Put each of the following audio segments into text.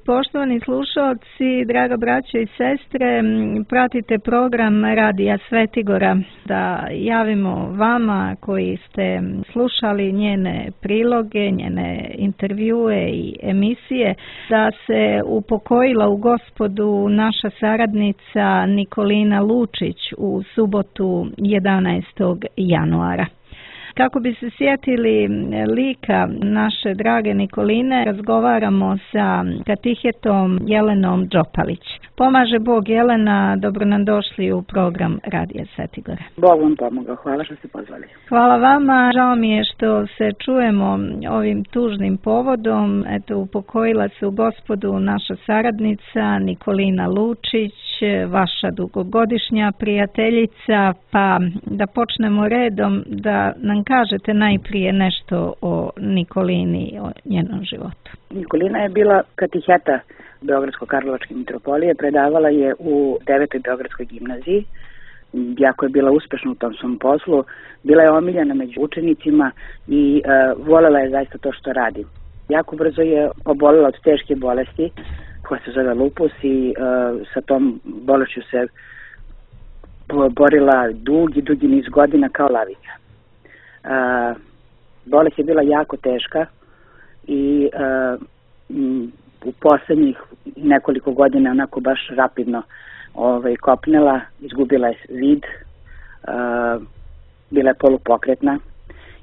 Poštovani slušalci, draga braćo i sestre, pratite program Radija Svetigora. Da javimo vama koji ste slušali njene priloge, njene intervjue i emisije, da se upokojila u Gospodu naša saradnica Nikolina Lučić u subotu 11. januara. Kako bi se sjetili lika naše drage Nikoline, razgovaramo sa katehetom Jelenom Đopalić. Pomaže Bog, Jelena, dobro nam došli u program Radija Svetigora. Bog vam pomogao, hvala što ste pozvali. Hvala vama, žao mi je što se čujemo ovim tužnim povodom. Eto, upokojila se u Gospodu naša saradnica Nikolina Lučić, vaša dugogodišnja prijateljica, pa da počnemo redom, da nam kažete najprije nešto o Nikolini, o njenom životu. Nikolina je bila kateheta Beogradsko-Karlovačke mitropolije, predavala je u 9. Beogradskoj gimnaziji, jako je bila uspešna u tom svom poslu, bila je omiljena među učenicima i volela je zaista to što radi. Jako brzo je obolela od teške bolesti koja se zove lupus i sa tom bolešću se borila dugi niz godina kao lavica. Bolest je bila jako teška i u poslednjih nekoliko godina onako baš rapidno kopnela, izgubila je vid, bila je polupokretna,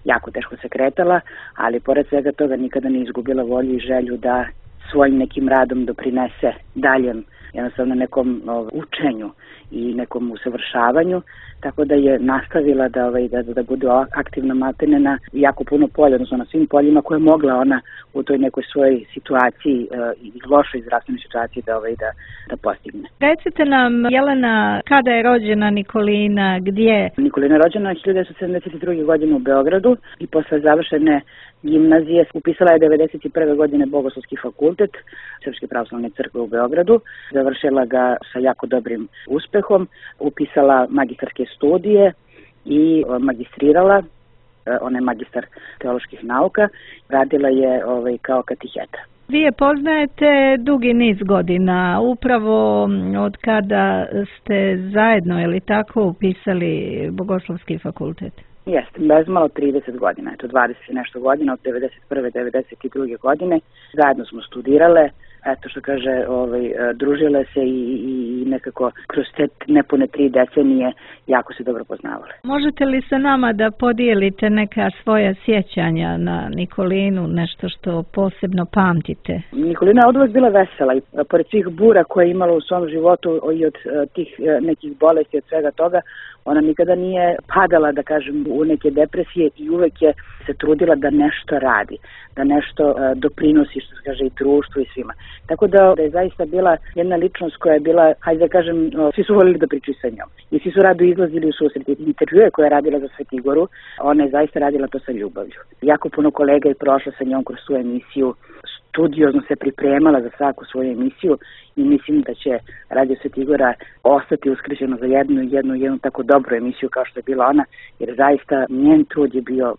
jako teško se kretala, ali pored svega toga nikada nije izgubila volju i želju da svojim nekim radom doprinese daljem, jednostavno nekom učenju i nekom usavršavanju, tako da je nastavila da bude aktivna maltene na jako puno polja, odnosno na svim poljima koje je mogla ona u toj nekoj svojoj situaciji i lošoj zdravstvenoj situaciji da postigne. Recite nam, Jelena, kada je rođena Nikolina, gdje? Nikolina je rođena 1972. godine u Beogradu i posle završene gimnazije upisala je 1991. godine Bogoslovski fakultet Srpske pravoslavne crkve u Beogradu. Završila ga sa jako dobrim uspehom, upisala magistarske studije i magistrirala, ona je magistar teoloških nauka, radila je kao kateheta. Vi je poznajete dugi niz godina, upravo od kada ste zajedno, ili tako, upisali Bogoslovski fakultet? Jeste, bez malo 30 godina, eto 20 i nešto godina, od 91. 92. godine. Zajedno smo studirale, eto što kaže, družile se i nekako kroz te nepune 3 decenije jako se dobro poznavale. Možete li sa nama da podijelite neka svoja sjećanja na Nikolinu, nešto što posebno pamtite? Nikolina je od uvek bila vesela i pored svih bura koje je imala u svom životu i od tih nekih bolesti, od svega toga, ona nikada nije padala, da kažem, u neke depresije i uvek je se trudila da nešto radi, da nešto doprinosi, što se kaže, i društvu i svima. Tako da je zaista bila jedna ličnost koja je bila, hajde da kažem, svi su volili da pričaju sa njom. I svi su rado izlazili u susret. Intervjue koje je radila za Svetigoru, ona je zaista radila to sa ljubavlju. Jako puno kolega je prošlo sa njom kroz tu emisiju, studiozno se pripremala za svaku svoju emisiju i mislim da će Radio Svetigora ostati uskriženo za jednu tako dobru emisiju kao što je bila ona, jer zaista njen trud je bio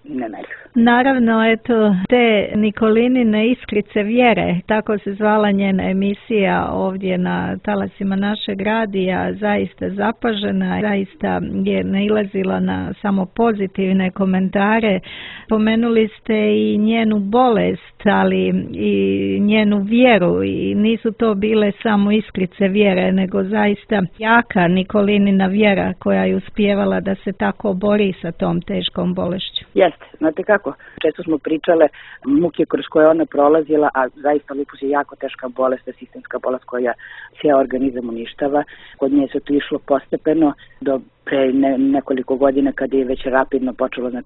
nemerljiv. Naravno, eto, te Nikolinine iskrice vjere, tako se zvala njena emisija ovdje na talasima našeg radija, zaista zapažena, zaista je nailazila na samo pozitivne komentare. Pomenuli ste i njenu bolest, ali i njenu vjeru, i nisu to bile samo iskrice vjere, nego zaista jaka Nikolinina vjera koja je uspijevala da se tako bori sa tom teškom bolešću. Jeste, znate kako, često smo pričale muke kroz koje ona prolazila, a zaista lupus je jako teška bolest, sistemska bolest koja cijel organizam uništava. Kod nje se to išlo postepeno do pre nekoliko godina kada je već rapidno počelo da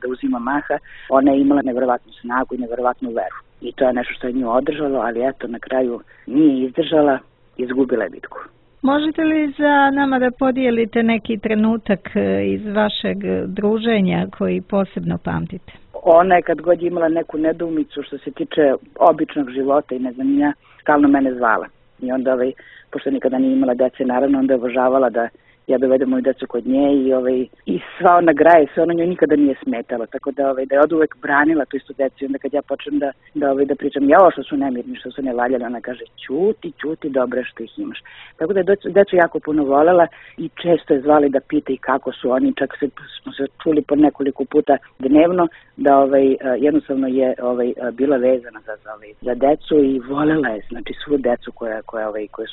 uzima maha. Ona je imala neverovatnu snagu i neverovatnu veru. I to je nešto što je nju održalo, ali eto, na kraju nije izdržala, izgubila je bitku. Možete li za nama da podijelite neki trenutak iz vašeg druženja koji posebno pamtite? Ona je kad god imala neku nedoumicu što se tiče običnog života i ne znam ja, stalno mene zvala. I onda, pošto nikada nije imala dece, naravno, onda je obožavala da ja dovedem moju decu kod nje i sva ona graje, sve ono njoj nikada nije smetalo, tako da je od uvek branila tu istu decu i onda kad ja počnem da pričam, jao što su nemirni, što su nevaljali, ona kaže ćuti, dobro što ih imaš. Tako da je decu jako puno volela i često je zvali da pita i kako su oni, čak smo se čuli po nekoliko puta dnevno, da jednostavno je bila vezana za decu i volela je, znači svu decu koja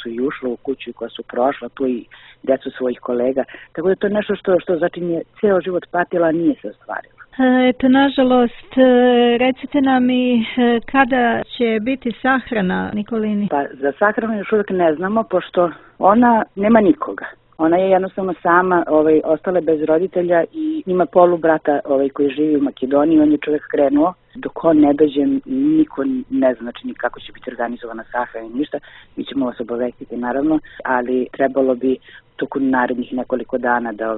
su i ušla u kuću i koja su prošla tu i decu svojih kolega. Tako da je to nešto što začin je ceo život patila, a nije se ostvarilo. Eto, nažalost, recite nam i kada će biti sahrana Nikolini? Pa za sahranu još uvijek ne znamo, pošto ona nema nikoga. Ona je jednostavno sama, ostala bez roditelja i ima polubrata koji živi u Makedoniji, on je čovjek krenuo. Dok on ne dođe, niko ne zna, znači kako će biti organizovana sahrana i ništa. Mi ćemo vas obavestiti naravno, ali trebalo bi tokom narednih nekoliko dana da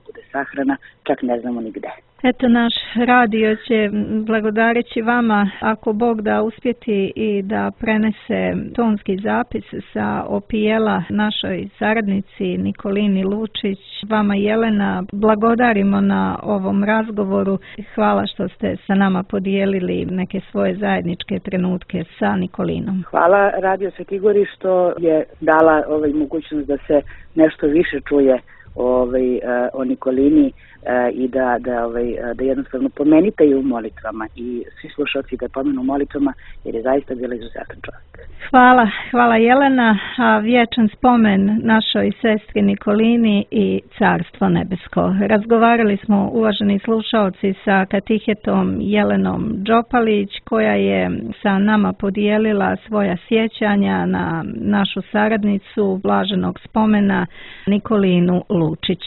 bude sahrana, čak ne znamo ni gde. Eto, naš radio će, blagodareći vama, ako Bog da, uspjeti i da prenese tonski zapis sa opijela našoj saradnici Nikolini Lučić. Vama, Jelena, blagodarimo na ovom razgovoru. Hvala što ste sa nama podijelili neke svoje zajedničke trenutke sa Nikolinom. Hvala Radio Sveti Gori što je dala mogućnost da se nešto više čuje o Nikolini i da jednostavno pomenite ju u molitvama i svi slušalci da pomenu u molitvama, jer je zaista bila izuzetan čovjek. Hvala Jelena, a vječan spomen našoj sestri Nikolini i Carstvo nebesko. Razgovarali smo, uvaženi slušalci, sa katehetom Jelenom Đopalić, koja je sa nama podijelila svoja sjećanja na našu saradnicu blaženog spomena Nikolinu Lučić.